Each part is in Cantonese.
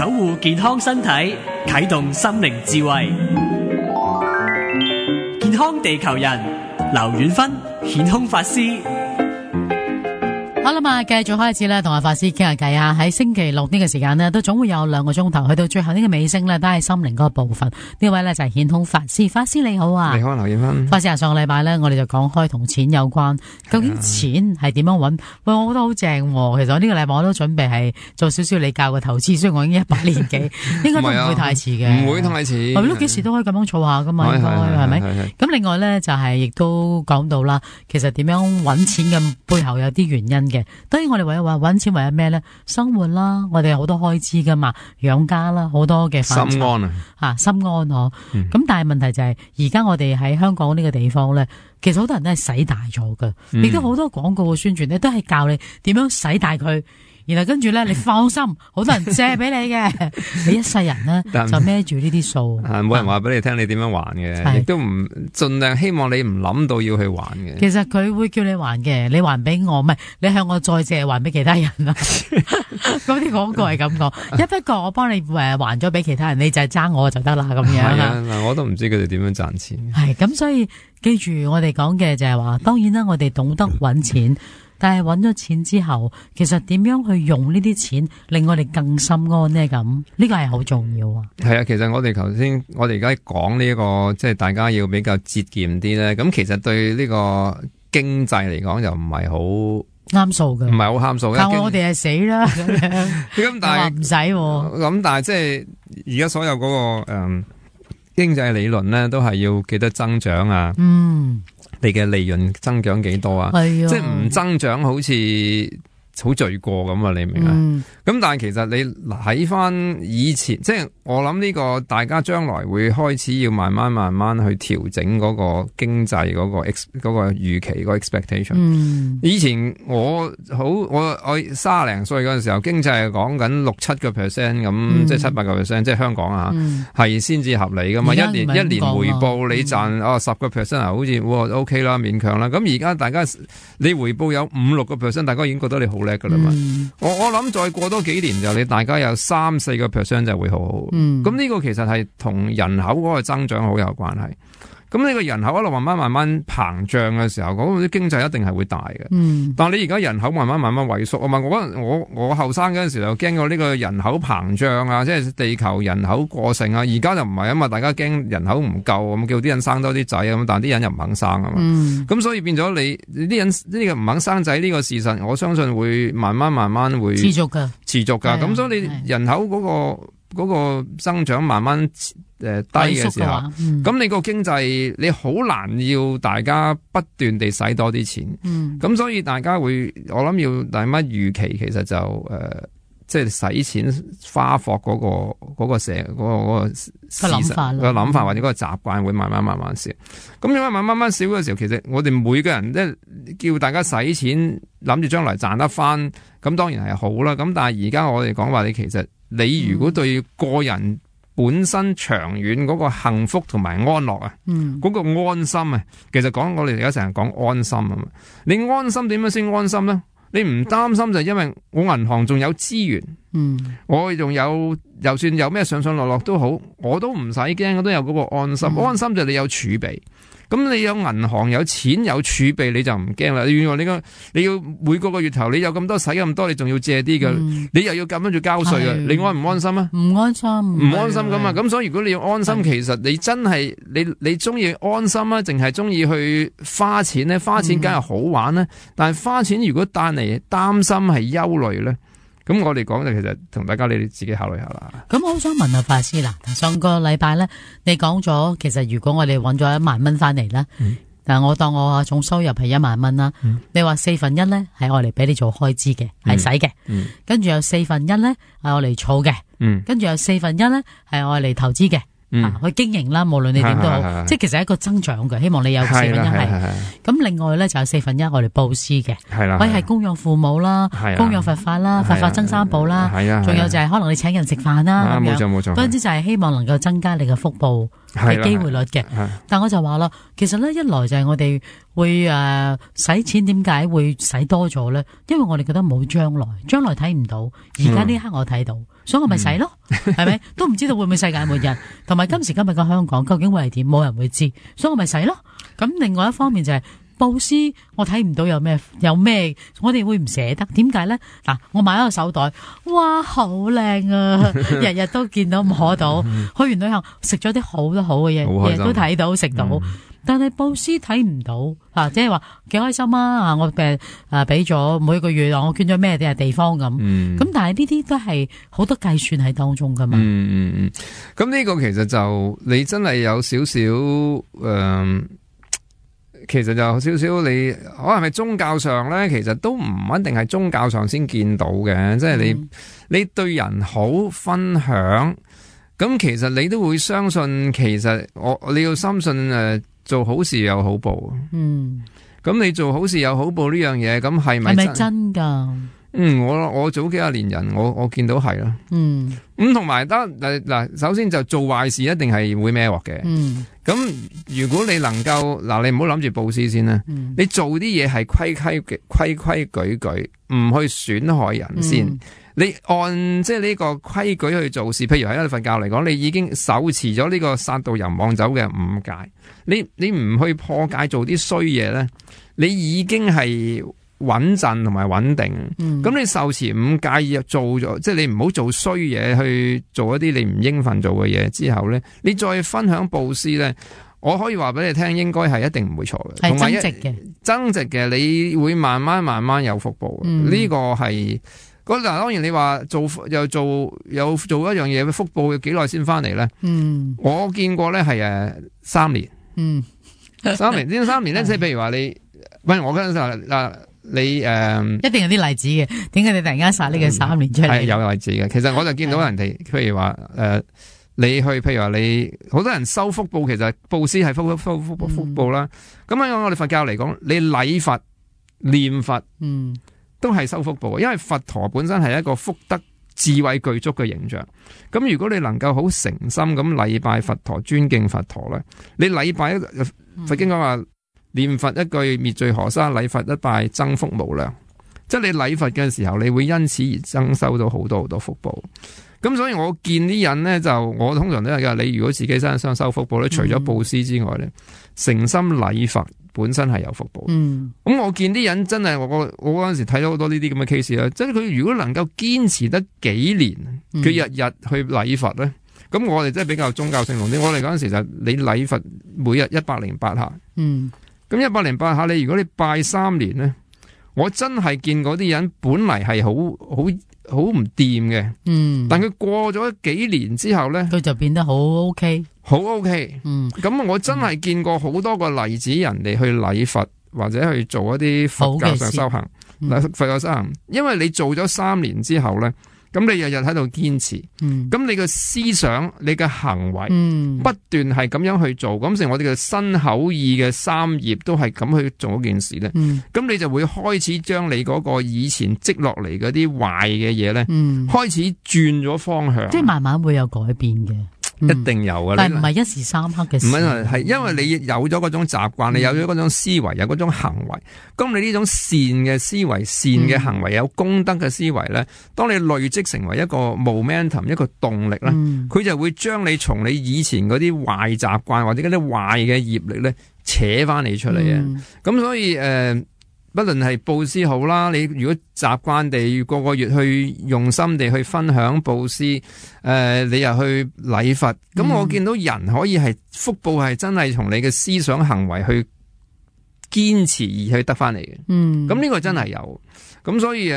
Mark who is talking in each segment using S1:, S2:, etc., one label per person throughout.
S1: 守護健康身體，啟動心靈智慧。健康地球人，劉遠芬顯空法師。
S2: 好啦嘛，繼續開始咧，同阿法師傾下偈啊！喺星期六呢個時間呢，都總會有2個鐘頭，去到最後呢個尾聲呢，都係心靈嗰個部分。呢位呢，就係顯空法師，法師你好啊！
S3: 你好，劉遠芬。
S2: 法師啊，上個禮拜呢，我哋就講開同錢有關，究竟錢係點樣搵？喂，我覺得好正喎！其實呢個禮拜我都準備係做少少你教嘅投資，雖然我已經100年幾，應該都唔會太遲嘅，
S3: 唔會太遲。
S2: 係咯，幾時都可以咁樣儲下噶嘛，應該係咪？咁另外呢，就係亦都講到啦，其實點樣搵錢嘅背後有啲原因嘅。當然我哋為咗話搵錢為咗咩咧？生活啦，我哋有好多開支噶嘛，養家啦，好多嘅範疇。
S3: 心安啊，
S2: 心安嗬。咁但係問題就係，而家我哋喺香港呢個地方咧，其實好多人都係使大咗噶，亦都好多廣告嘅宣傳咧，都係教你點樣使大佢。然後跟住咧，你放心，好多人借俾你嘅，你一世人咧就孭住呢啲數。
S3: 冇人話俾你聽你點樣還嘅，亦都唔盡量希望你唔諗到要去還嘅。
S2: 其實佢會叫你還嘅，你還俾我，唔係你向我再借還俾其他人啊。嗰啲廣告係咁講，一不過我幫你還咗俾其他人，你就係爭我就得啦咁樣啦。
S3: 嗱，我都唔知佢哋點樣賺錢。
S2: 係咁，所以記住我哋講嘅就係話，當然啦，我哋懂得搵錢。但係搵咗錢之後，其實點樣去用呢啲錢令我哋更心安呢？咁呢個係好重要啊！
S3: 係啊，其實我哋而家講呢個即係大家要比較節儉啲咧。咁其實對呢個經濟嚟講就唔係好
S2: 啱數嘅，
S3: 唔係好啱數。
S2: 靠我哋係死啦咁但係唔使
S3: 咁，但係即係而家所有嗰個經濟理論咧，都係要記得增長啊。你嘅利潤增長幾多啊？即係唔增長好似好罪過咁啊！你明啊？咁但係其實你睇翻以前，即係我諗呢個大家將來會開始要慢慢去調整嗰個經濟嗰個預期個 expectation。以前我30零歲嗰陣時候，經濟係講緊6-7% 咁，即係7-8%，即係香港啊，係先至合理噶嘛。一年回報你賺10% 啊，好似OK 啦，勉強啦。咁而家大家你回報有5-6%，大家已經覺得你好叻噶啦嘛。我諗再過多幾年就你大家有3-4% 就會好好。咁呢個其實係同人口嗰個增長好有關係。咁呢個人口一路慢慢膨脹嘅時候，嗰個經濟一定係會大嘅。但係你而家人口慢慢萎縮啊嘛，我後生嗰陣時就驚過呢個人口膨脹啊，即係地球人口過剩啊。而家就唔係啊嘛，大家驚人口唔夠咁，叫啲人生多啲仔咁，但係啲人又唔肯生啊嘛。咁所以變咗你啲人呢個唔肯生仔呢個事實，我相信會慢慢會持續噶。咁所以你人口嗰個增長慢慢低嘅時候，咁你個經濟你好難要大家不斷地使多啲錢。咁所以大家會，我諗要大乜預期，其實就即係使錢花霍嗰個事實個諗法或者嗰個習慣會慢慢少。咁因為慢慢少嘅時候，其實我哋每個人即係叫大家使錢，諗住將來賺得翻，咁當然係好啦。咁但係而家我哋講話，你如果對個人本身長遠嗰個幸福同埋安樂啊，嗰個安心啊，其實我哋而家成日講安心啊嘛。你安心點樣先安心咧？你唔擔心就因為我銀行仲有資源，我仲有，就算有咩上落都好，我都唔使驚，我都有嗰個安心。安心就你有儲備。咁你有銀行有錢有儲備你就唔驚啦。原來你要每個月頭你有咁多使咁多，你仲要借啲嘅，你又要咁樣住交稅嘅，你安唔安心啊？
S2: 唔安心，
S3: 唔安心咁啊！咁所以如果你要安心，其實你真係你中意安心啊，淨係中意去花錢咧？花錢梗係好玩咧，但係花錢如果帶嚟擔心係憂慮咧。咁我哋講就其實同大家你哋自己考慮下啦。
S2: 咁我好想問下法師啦，上個禮拜咧，你講咗其實如果我哋揾咗1萬蚊翻嚟啦，但我當我總收入係1萬蚊啦，你話1/4咧係我嚟俾你做開支嘅，係使嘅，跟住有1/4咧係我嚟儲嘅，跟住有1/4咧係我嚟投資嘅。去經營啦，無論你點都好，即係其實係一個增長嘅。希望你有1/4係。咁另外咧就有1/4我哋布施嘅，可以係供養父母啦，供養佛法啦，佛法增三寶啦，仲有就係可能你請人食飯啦咁樣。冇錯。總之就係希望能夠增加你嘅福報嘅機會率嘅。但我就話啦，其實咧一來就係我哋會使錢點解會使多咗咧？因為我哋覺得冇將來睇唔到，而家呢刻我睇到，所以我咪使咯，係咪？都唔知道會唔會世界末日，同埋今時今日嘅香港究竟會係點，冇人會知，所以我咪使咯。咁另外一方面就係布施，我睇唔到有咩，我哋會唔捨得？點解咧？嗱，我買一個手袋，哇，好靚啊！日日都見到摸到，去完旅行食咗啲好多好嘅嘢，日日都睇到食到。但係布施睇唔到，即係話幾開心啊！我俾咗每個月我捐咗咩地方咁，咁但係呢啲都係好多計算喺當中噶嘛。
S3: 咁呢個其實就你真係有少少其實就有少少你可能係宗教上咧，其實都唔一定係宗教上先見到嘅，即係你對人好分享，咁其實你都會相信，其實你要深信做好事有好報。咁你做好事有好報呢樣嘢，咁係咪
S2: 真噶？
S3: 我早幾廿年人，我見到係啦。咁同埋嗱，首先就做壞事一定係會孭鑊嘅。咁如果你能夠你唔好諗住布施先啦，你做啲嘢係規矩矩，唔去損害人先。你按即係呢個規矩去做事，譬如喺佛教嚟講，你已經手持咗呢個殺盜淫妄酒嘅5戒，你唔去破戒做啲衰嘢咧，你已經係穩陣同埋穩定。咁你受持5戒做咗，即係你唔好做衰嘢，去做一啲你唔應份做嘅嘢之後咧，你再分享布施咧，我可以話俾你聽，應該係一定唔會錯嘅，
S2: 係增值嘅，
S3: 你會慢慢有福報。呢個係。嗱，當然你話做一樣嘢，福報要幾耐先翻嚟咧？我見過咧係3年。3年呢3年咧，即係譬如話你，我嗰陣時你
S2: 一定有啲例子嘅。點解你突然間殺呢個3年出嚟？
S3: 係有例子嘅。其實我就見到人哋，譬如話你去，譬如話你好多人收福報，其實布施係福報啦。咁喺我哋佛教嚟講，你禮佛、念佛，都係收福報，因為佛陀本身係一個福德智慧具足嘅形象。咁如果你能夠好誠心咁禮拜佛陀、尊敬佛陀咧，你禮拜佛經講話念佛一句滅罪河沙，禮佛一拜增福無量。即係你禮佛嘅時候，你會因此而增收到好多福報。咁所以我見啲人咧，我通常都係噶。你如果自己身上收福報咧，除咗布施之外咧，誠心禮佛本身係有福報。咁我見啲人真係，我嗰陣時睇到好多呢啲咁嘅 case 啦。即係佢如果能夠堅持得幾年，佢日日去禮佛咧，咁我哋真係比較宗教性濃啲。我哋嗰陣時就你禮佛每日108下。咁108下，你如果你拜3年咧，我真係見嗰啲人本嚟係好唔掂嘅，但佢過咗幾年之後咧，佢
S2: 就變得好 OK，
S3: 好 OK。咁我真係見過好多個例子，人哋去禮佛或者去做一啲佛教上修行，佛教修行，因為你做咗3年之後咧，咁你日日喺度堅持，咁你嘅思想、你嘅行為不斷係咁樣去做，咁成我哋嘅身口意嘅3業都係咁去做一件事咧，咁你就會開始將你嗰個以前積落嚟嗰啲壞嘅嘢咧，開始轉咗方向，
S2: 即係慢慢會有改變嘅。
S3: 一定有嘅，
S2: 但係唔係一時三刻嘅事。
S3: 唔係因為你有咗嗰種習慣，你有咗嗰種思維，有嗰種行為。咁你呢種善嘅思維、善嘅行為、有功德嘅思維咧，當你累積成為一個 momentum、一個動力咧，佢就會將你從你以前嗰啲壞習慣或者嗰啲壞嘅業力咧扯翻你出嚟啊！咁所以不論係布施好啦，你如果習慣地個個月去用心地去分享布施，你又去禮佛，咁我見到人可以係福報係真係從你嘅思想行為去堅持而去得翻嚟嘅。咁呢個真係有。咁所以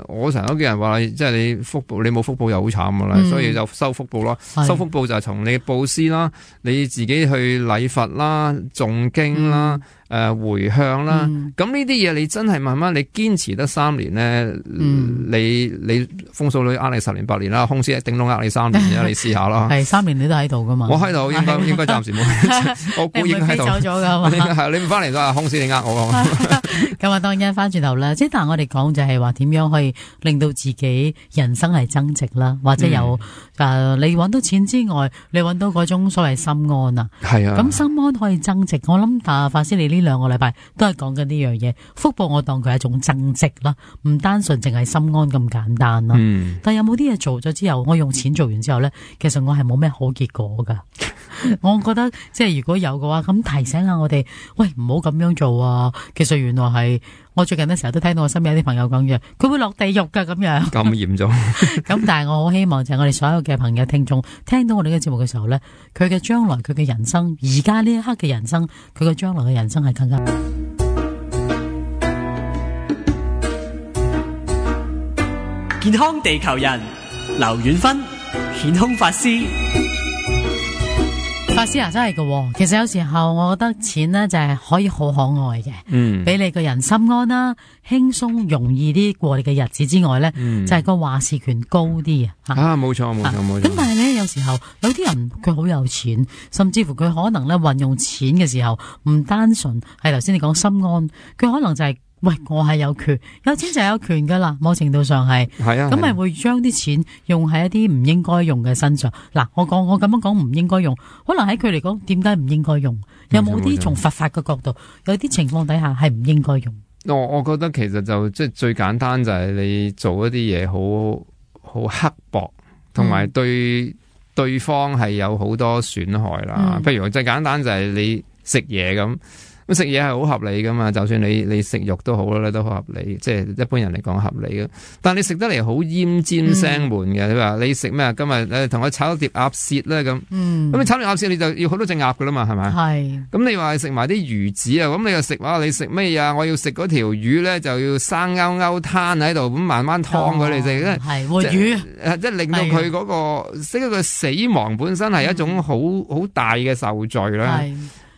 S3: 我成日都叫人話，即係你福報，你冇福報又好慘噶啦，所以就收福報咯。收福報就係從你布施啦，你自己去禮佛啦、誦經啦、回向啦。咁呢啲嘢你真係慢慢你堅持得3年咧，你風水佬呃你10年8年啦，空師頂籠呃你3年啫，你試下啦。
S2: 係3年你都喺度噶嘛？
S3: 我喺度應該暫時冇，我估應該喺度。
S2: 走咗噶嘛？
S3: 係你唔翻嚟都係空師你呃我。
S2: 咁啊，當然翻轉頭啦，即係但係我哋講就係話點樣可以令到自己人生係增值啦，或者有你揾到錢之外，你揾到嗰種所謂心安啊。
S3: 係啊。
S2: 咁心安可以增值，我諗法師你呢2個禮拜都係講緊呢樣嘢，福報我當佢係一種增值啦，唔單純淨係心安咁簡單啦。但係有冇啲嘢做咗之後，我用錢做完之後咧，其實我係冇咩好結果噶。我覺得即係如果有嘅話，咁提醒下我哋，喂，唔好咁樣做啊！其實原來係我最近咧成日都聽到我身邊有啲朋友講嘅，佢會落地獄噶咁樣。
S3: 咁嚴重。
S2: 咁但係我好希望就係我哋所有嘅朋友聽眾聽到我哋嘅節目嘅時候咧，佢嘅將來佢嘅人生，而家呢一刻嘅人生，佢嘅將來嘅人生係更加。
S1: 健康地球人劉遠芬顯空法師。
S2: 法師啊，真係嘅，其實有時候我覺得錢呢就係可以好可愛嘅，俾你個人心安啦，輕鬆容易啲過你嘅日子之外呢，就係個話事權高啲啊！
S3: 冇錯。
S2: 咁但係呢，有時候有啲人佢好有錢，甚至乎佢可能呢運用錢嘅時候唔單純係頭先你講心安，佢可能就係喂，我係有權，有錢就係有權噶啦，某程度上係，咁咪會將啲錢用喺一啲唔應該用嘅身上。嗱，我咁樣講唔應該用，可能喺佢嚟講，點解唔應該用？有冇啲從佛法嘅角度，有啲情況底下係唔應該用？
S3: 我覺得其實就即係最簡單就係你做一啲嘢好刻薄，同埋對對方係有好多損害啦。譬如最簡單就係你食嘢咁。咁食嘢係好合理噶嘛，就算你食肉都好啦，都好合理，即係一般人嚟講合理嘅。但係你食得嚟好奄尖聲悶嘅，你話你食咩？今日同我炒一碟鴨舌啦咁。咁你炒碟鴨舌你就要好多隻鴨噶啦嘛，係咪？係。咁你話食埋啲魚子啊，咁你又食話你食咩啊？我要食嗰條魚咧，就要生勾勾攤喺度，咁慢慢燙佢嚟食。
S2: 係活魚，
S3: 即係令到佢嗰個即係個死亡本身係一種好大嘅受罪啦。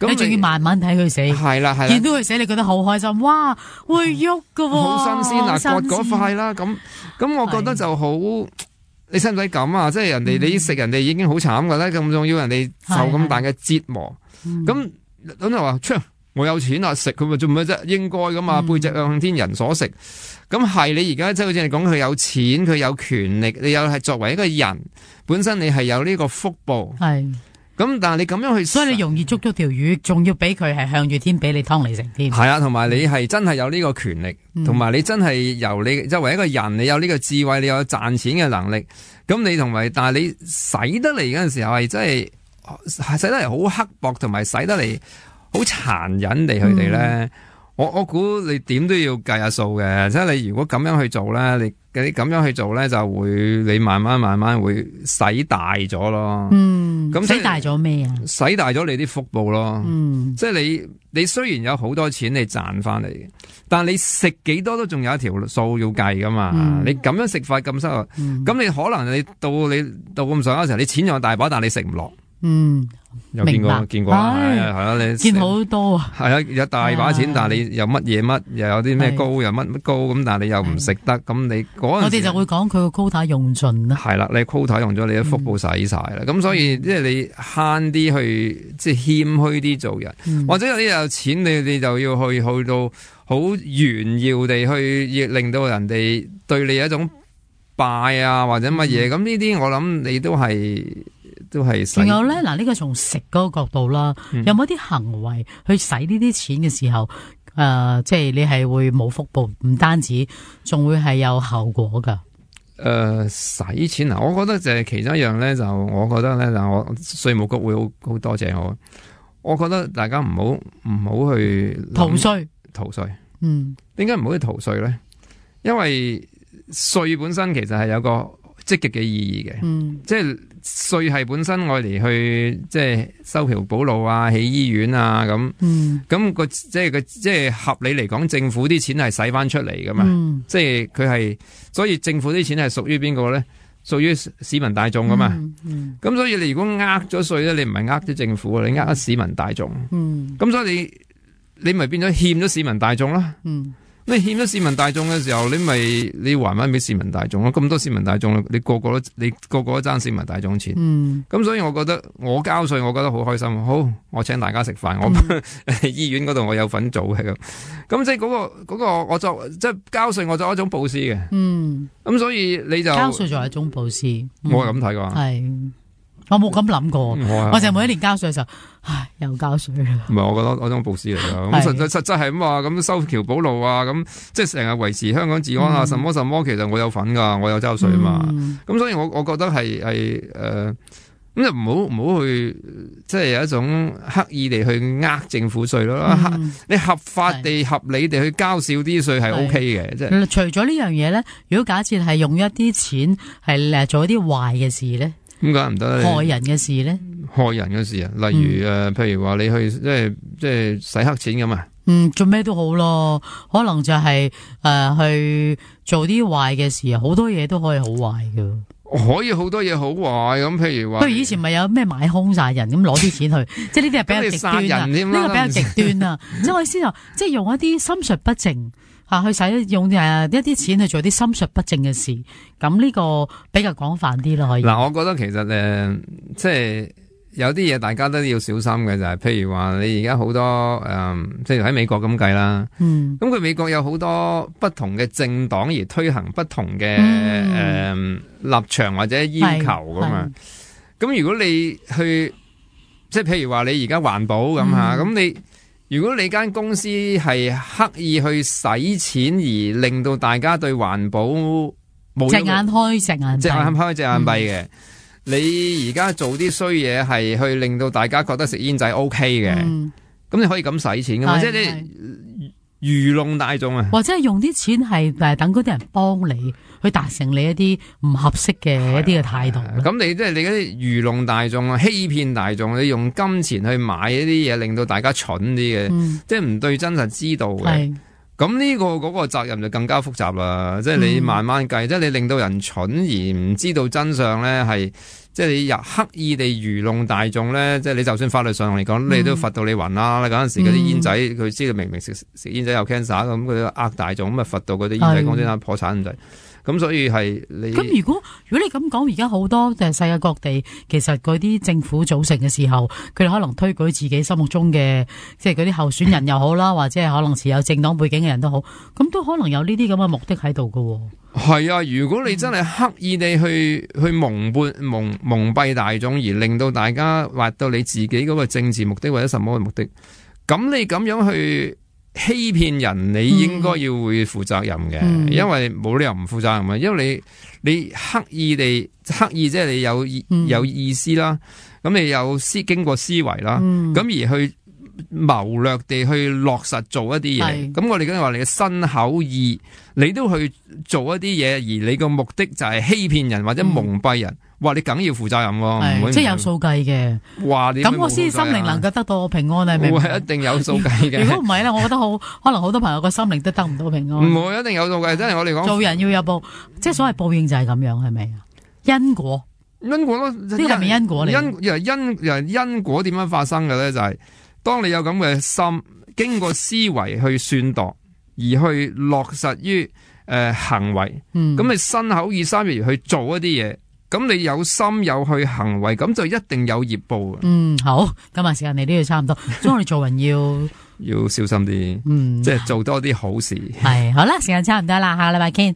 S2: 你仲要慢慢睇佢死，係啦，見到佢死，你覺得好開心，哇，會喐噶，
S3: 好新鮮啊！割嗰塊啦，咁我覺得就好，你使唔使咁啊？即係人哋你食人哋已經好慘噶啦，咁仲要人哋受咁大嘅折磨，咁就話，我有錢啊，食佢咪做咩啫？應該噶嘛，背脊向天，人所食。咁係你而家即係好似你講，佢有錢，佢有權力，你有係作為一個人本身，你係有呢個福報。係。咁但係你咁樣去，所以你容易捉咗條魚，仲要俾佢係向住天俾你劏嚟食添。係啊，同埋你係真係有呢個權力，同埋你真係由你作為一個人，你有呢個智慧，你有賺錢嘅能力。咁你同埋，但係你使得嚟嗰陣時候係真係使得嚟好刻薄，同埋使得嚟好殘忍地佢哋咧。我估你點都要計下數嘅，即係你如果咁樣去做咧，你咁樣去做咧，就會你慢慢會使大咗咯。咁使大咗咩啊？使大咗你啲福報咯。即係你雖然有好多錢你賺翻嚟嘅，但係你食幾多都仲有一條數要計噶嘛。你咁樣食法咁收入，咁你可能你到咁上下嘅時候，你錢有大把，但係你食唔落。有見過係啦，你見好多啊，係啊，有大把錢，但係你又乜嘢乜，又有啲咩高，又乜高咁，但係你又唔食得，咁你嗰陣時我哋就會講佢個 quota 用盡啦。係啦，你 quota 用咗，你啲福報使晒啦，咁所以即係你慳啲去，即係謙虛啲做人，或者有啲有錢，你就要去到好炫耀地去，令到人哋對你有一種拜啊或者乜嘢，咁呢啲我諗你都係。仲有咧，嗱，呢個從食嗰個角度啦，有冇啲行為去使呢啲錢嘅時候，即係你係會冇福報，唔單止，仲會係有後果噶。使錢啊，我覺得就係其中一樣咧，就我覺得咧，就我稅務局會好多謝我。我覺得大家唔好去逃稅。點解唔好去逃稅咧？因為稅本身其實係有個積極嘅意義嘅，即係。稅係本身愛嚟去即係修橋補路啊、起醫院啊咁，咁即係合理嚟講，政府啲錢係使翻出嚟噶嘛，即係佢係，所以政府啲錢係屬於邊個咧？屬於市民大眾噶嘛，咁所以你如果呃咗稅咧，你唔係呃咗政府，你呃市民大眾，咁所以你咪變咗欠咗市民大眾啦。你欠咗市民大眾嘅時候，你還翻俾市民大眾咯。咁多市民大眾，你個個都爭市民大眾錢。咁所以我覺得我交稅，我覺得好開心。好，我請大家食飯，我醫院嗰度我有份做嘅咁。咁即係嗰個我作即係交稅，我作一種布施嘅。咁所以你就
S2: 交稅作為一種布施，
S3: 我係咁睇㗎。
S2: 係。我冇咁諗過，我就每一年交稅嘅時候，唉，又交稅啦。
S3: 唔係，我覺得嗰種布施嚟噶。咁實質係咁話，咁修橋補路啊，咁即係成日維持香港治安啊，什麼，其實我有份噶，我有交稅啊嘛。咁所以我覺得係咁就唔好去，即係有一種刻意地去呃政府稅咯。你合法地、合理地去交少啲稅係 OK 嘅。即係除
S2: 咗呢樣嘢咧，如果假設係用一啲錢係做一啲壞嘅事咧？
S3: 咁梗係唔得咧，
S2: 害人嘅事咧，
S3: 害人嘅事啊，例如譬如話你去即係洗黑錢咁啊，
S2: 做咩都好咯，可能就係去做啲壞嘅事啊，好多嘢都可以好壞噶，
S3: 可以好多嘢好壞咁，譬如話，
S2: 不如以前咪有咩買兇殺人咁攞啲錢去，即係呢啲係比較極端啊，呢個比較極端啊，即係我意思就即係用一啲心術不正。去用一啲錢去做啲心術不正嘅事，咁呢個比較廣泛啲咯，可以。
S3: 我覺得其實即係有啲嘢大家都要小心嘅，就係譬如話你而家好多即係喺美國咁計啦，咁佢美國有好多不同嘅政黨而推行不同嘅立場或者要求噶嘛，咁如果你去即係譬如話你而家環保咁吓，咁如果你間公司係刻意去使錢而令到大家對環保冇
S2: 隻眼開隻眼
S3: 閉嘅，你而家做啲衰嘢係去令到大家覺得食煙仔 OK 嘅，咁你可以咁使錢噶嘛？即係你愚弄大眾啊，
S2: 或者係用啲錢係等嗰啲人幫你去達成你一啲唔合適嘅一啲嘅態度。
S3: 咁你即係你嗰啲愚弄大眾啊，欺騙大眾，你用金錢去買一啲嘢，令到大家蠢啲嘅，即係唔對真實知道嘅。咁呢嗰個責任就更加複雜啦。即係你慢慢計，即係你令到人蠢而唔知道真相咧，係即係你刻意地愚弄大眾咧。即係你就算法律上嚟講，你都罰到你暈啦。嗰陣時嗰啲煙仔，佢知道明明食煙仔有 cancer 咁，佢都呃大眾，咁啊罰到嗰啲煙仔公司破產咁滯。咁所以係你
S2: 咁如果你咁講，而家好多世界各地，其實嗰啲政府組成嘅時候，佢哋可能推舉自己心目中嘅，即係嗰啲候選人又好啦，或者係可能持有政黨背景嘅人都好，咁都可能有呢啲咁嘅目的喺度噶。
S3: 係啊，如果你真係刻意地去蒙蔽大眾，而令到大家挖到你自己嗰個政治目的或者什麼嘅目的，咁你咁樣去欺騙人，你應該要會負責任嘅，因為冇理由唔負責任嘅，因為你刻意即係你有意思啦，咁你有經過思維啦，咁而去謀略地去落實做一啲嘢，咁我哋梗係話你嘅身口意，你都去做一啲嘢，而你個目的就係欺騙人或者蒙蔽人。話你梗要負責任喎，
S2: 即係有數計嘅。咁我先心靈能夠得到平安，係咪？
S3: 會一定有數計嘅。
S2: 如果唔係咧，我覺得可能好多朋友個心靈都得唔到平安。
S3: 唔會一定有數計，真係我哋講
S2: 做人要有報，即係所謂報應就係咁樣，係咪啊？因果咯，呢個係咪因果嚟？
S3: 因果點樣發生嘅咧？就係當你有咁嘅心，經過思維去算度，而去落實於行為，咁你身口意三業去做一啲嘢。咁你有心有去行為，咁就一定有業報嘅。
S2: 好，今日時間你都要差唔多，所以我哋做人要
S3: 小心啲，即係做多啲好事。
S2: 係，好啦，時間差唔多啦，下個禮拜見。